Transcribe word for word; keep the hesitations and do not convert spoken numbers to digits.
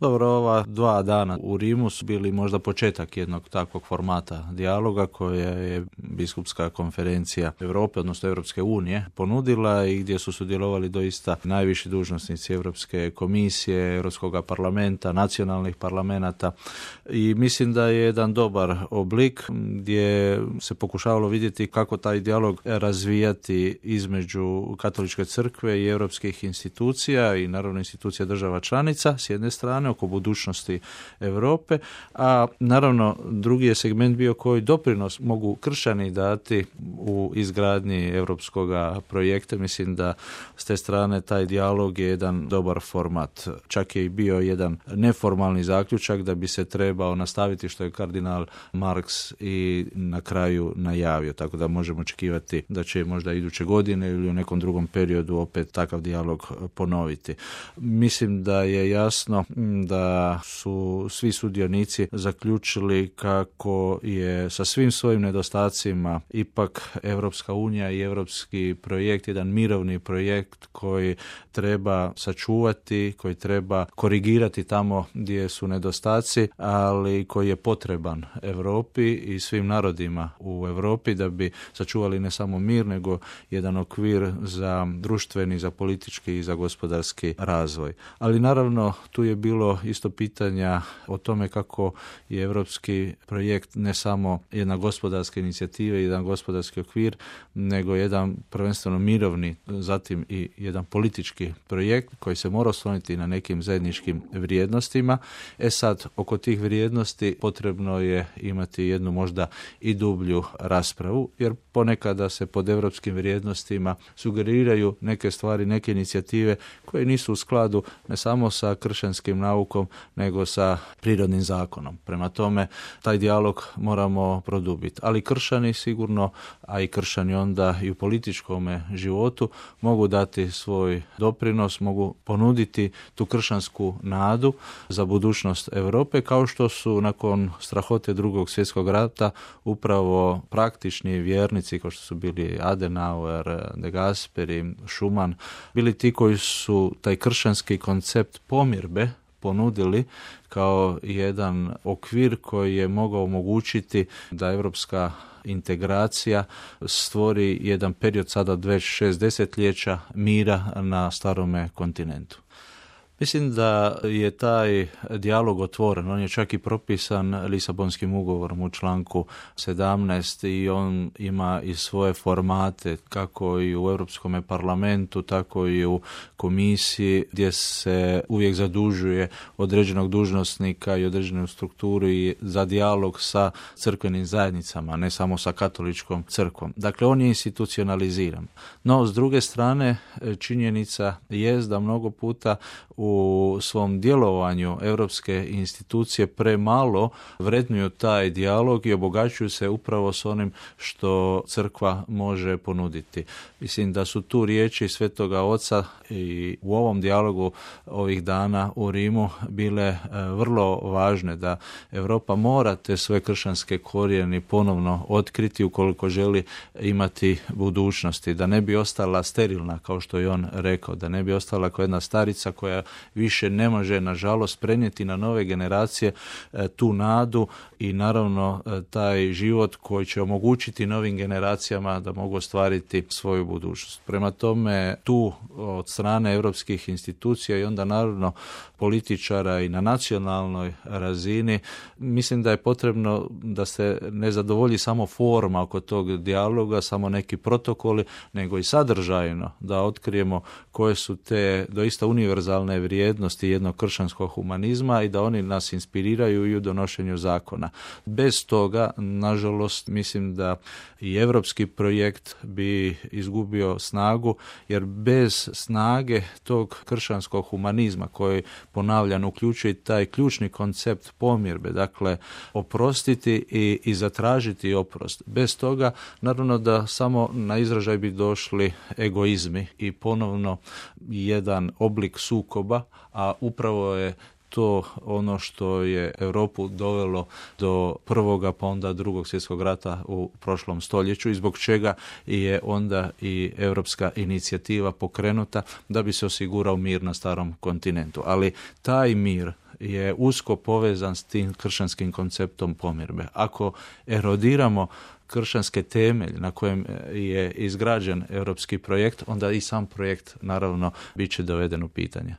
Dobro, ova dva dana u Rimu su bili možda početak jednog takvog formata dijaloga koja je Biskupska konferencija Europe, odnosno Europske unije, ponudila i gdje su sudjelovali doista najviši dužnosnici Europske komisije, Europskog parlamenta, nacionalnih parlamenata i mislim da je jedan dobar oblik gdje se pokušavalo vidjeti kako taj dijalog razvijati između Katoličke crkve i europskih institucija i naravno institucija država članica s jedne strane oko budućnosti Europe, a naravno drugi je segment bio koji doprinos mogu kršćani dati u izgradnji europskog projekta. Mislim da s te strane taj dijalog je jedan dobar format. Čak je i bio jedan neformalni zaključak da bi se trebao nastaviti što je kardinal Marx i na kraju najavio, tako da možemo očekivati da će možda iduće godine ili u nekom drugom periodu opet takav dijalog ponoviti. Mislim da je jasno da su svi sudionici zaključili kako je sa svim svojim nedostacima ipak Europska unija i europski projekt jedan mirovni projekt koji treba sačuvati, koji treba korigirati tamo gdje su nedostaci, ali koji je potreban Europi i svim narodima u Europi da bi sačuvali ne samo mir, nego jedan okvir za društveni, za politički i za gospodarski razvoj. Ali naravno tu je bilo isto pitanja o tome kako je europski projekt ne samo jedna gospodarska inicijativa i jedan gospodarski okvir, nego jedan prvenstveno mirovni, zatim i jedan politički projekt koji se mora osloniti na nekim zajedničkim vrijednostima. E sad, oko tih vrijednosti potrebno je imati jednu možda i dublju raspravu, jer ponekada se pod europskim vrijednostima sugeriraju neke stvari, neke inicijative koje nisu u skladu ne samo sa kršćanskim naukom, nego sa prirodnim zakonom. Prema tome, taj dijalog moramo produbiti. Ali kršćani sigurno, a i kršćani onda i u političkom životu mogu dati svoj doprinos, mogu ponuditi tu kršćansku nadu za budućnost Europe, kao što su nakon strahote drugog svjetskog rata upravo praktični vjernici, kao što su bili Adenauer, De Gasperi, Schumann, bili ti koji su taj kršćanski koncept pomirbe ponudili kao jedan okvir koji je mogao omogućiti da europska integracija stvori jedan period sada već šest desetljeća mira na starome kontinentu. Mislim da je taj dijalog otvoren, on je čak i propisan Lisabonskim ugovorom u članku sedamnaest i on ima i svoje formate kako i u Europskom parlamentu, tako i u komisiji gdje se uvijek zadužuje određenog dužnosnika i određenu strukturu i za dijalog sa crkvenim zajednicama, ne samo sa katoličkom crkvom. Dakle, on je institucionaliziran. No, s druge strane, činjenica jest da mnogo puta u svom djelovanju europske institucije premalo vrednuju taj dijalog i obogaćuju se upravo s onim što crkva može ponuditi. Mislim da su tu riječi Svetoga Oca i u ovom dijalogu ovih dana u Rimu bile vrlo važne, da Europa mora te svoje kršćanske korijene ponovno otkriti ukoliko želi imati budućnosti, da ne bi ostala sterilna, kao što je on rekao, da ne bi ostala kao jedna starica koja više ne može, nažalost, prenijeti na nove generacije tu nadu i naravno taj život koji će omogućiti novim generacijama da mogu ostvariti svoju budućnost. Prema tome, tu od strane europskih institucija i onda naravno političara i na nacionalnoj razini, mislim da je potrebno da se ne zadovolji samo forma oko tog dijaloga, samo neki protokoli, nego i sadržajno da otkrijemo koje su te doista univerzalne vrijednosti jednog kršćanskog humanizma i da oni nas inspiriraju i u donošenju zakona. Bez toga, nažalost, mislim da i europski projekt bi izgubio snagu, jer bez snage tog kršćanskog humanizma koji, ponavljam, uključuje taj ključni koncept pomirbe, dakle oprostiti i, i zatražiti oprost. Bez toga, naravno da samo na izražaj bi došli egoizmi i ponovno jedan oblik sukoba, a upravo je to ono što je Europu dovelo do prvoga pa onda drugog svjetskog rata u prošlom stoljeću i zbog čega je onda i europska inicijativa pokrenuta da bi se osigurao mir na starom kontinentu. Ali taj mir je usko povezan s tim kršćanskim konceptom pomirbe. Ako erodiramo kršćanske temelje na kojem je izgrađen europski projekt, onda i sam projekt naravno bit će doveden u pitanje.